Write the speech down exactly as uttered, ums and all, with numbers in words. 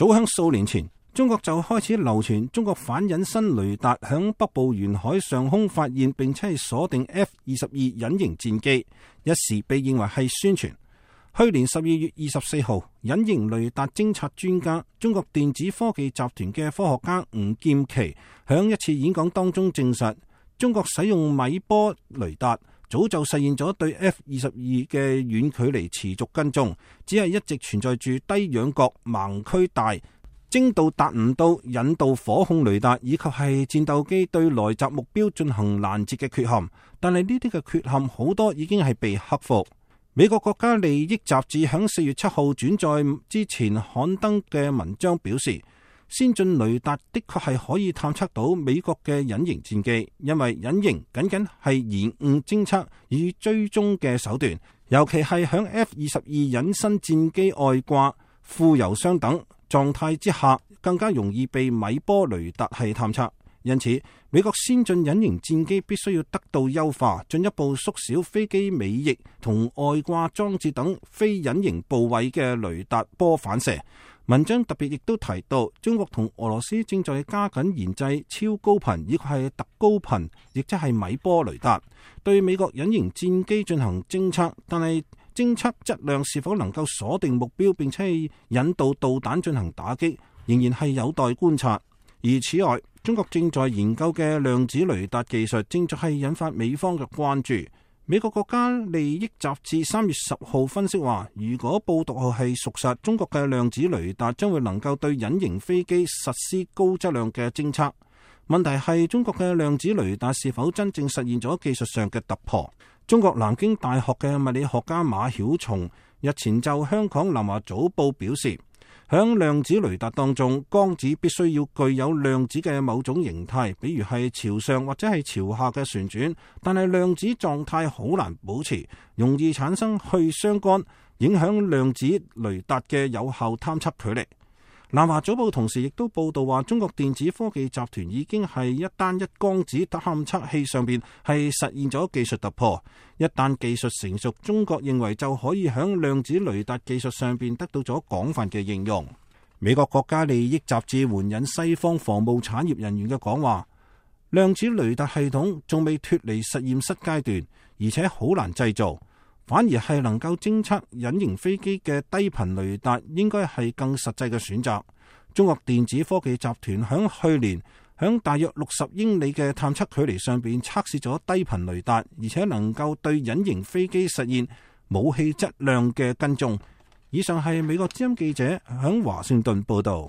早喺數年前，中國就開始流傳中國反隱身雷達響北部沿海上空發現，並且係鎖定 F 二十二隱形戰機，一時被認為係宣傳。去年十二月二十四號，隱形雷達偵察專家、中國電子科技集團嘅科學家吳劍奇響一次演講當中證實，中國使用米波雷達早就實現咗對 F 二十二嘅遠距離持續跟蹤，只係一直存在住低仰角、盲區大、精度達唔到引導火控雷達以及係戰鬥機對來襲目標進行攔截嘅缺陷。但係呢啲嘅缺陷好多已經係被克服。美國國家利益雜誌響四月七號轉載之前刊登嘅文章表示，先進雷達的確係可以探測到美國嘅隱形戰機，因為隱形僅僅係延誤偵測與追蹤嘅手段，尤其係響 F 二十二隱身戰機外掛、副油箱等狀態之下，更加容易被米波雷達係探測。因此，美國先進隱形戰機必須要得到優化，進一步縮小飛機尾翼同外掛裝置等非隱形部位嘅雷達波反射。文章特別亦都提到，中國同俄羅斯正在加緊研製超高頻以及係特高頻，亦即係米波雷達，對美國隱形戰機進行偵測，但係偵測質量是否能夠鎖定目標並且係引導導彈進行打擊，仍然係有待觀察。而此外，中國正在研究嘅量子雷達技術正在係引發美方嘅關注。美國國家利益雜誌三月十號分析話，如果報道係屬實，中國嘅量子雷達將會能夠對隱形飛機實施高質量嘅偵測。問題係中國嘅量子雷達是否真正實現咗技術上嘅突破？中國南京大學嘅物理學家馬曉松日前就香港南華早報表示，響量子雷達當中，光子必須要具有量子嘅某種形態，比如係朝上或者係朝下嘅旋轉，但係量子狀態好難保持，容易產生去相干，影響量子雷達嘅有效探測距離。南華早報同時亦都報道話，中國電子科技集團已經係一單一光子探測器上邊係實現咗技術突破。一旦技術成熟，中國認為就可以響量子雷達技術上邊得到咗廣泛嘅應用。美國國家利益雜誌援引西方防務產業人員嘅講話，量子雷達系統仲未脫離實驗室階段，而且好難製造。反而係能夠偵測隱形飛機嘅低頻雷達，應該係更實際嘅選擇。中國電子科技集團響去年響大約六十英里嘅探測距離上邊測試咗低頻雷達，而且能夠對隱形飛機實現武器質量嘅跟蹤。以上係美國之音記者響華盛頓報道。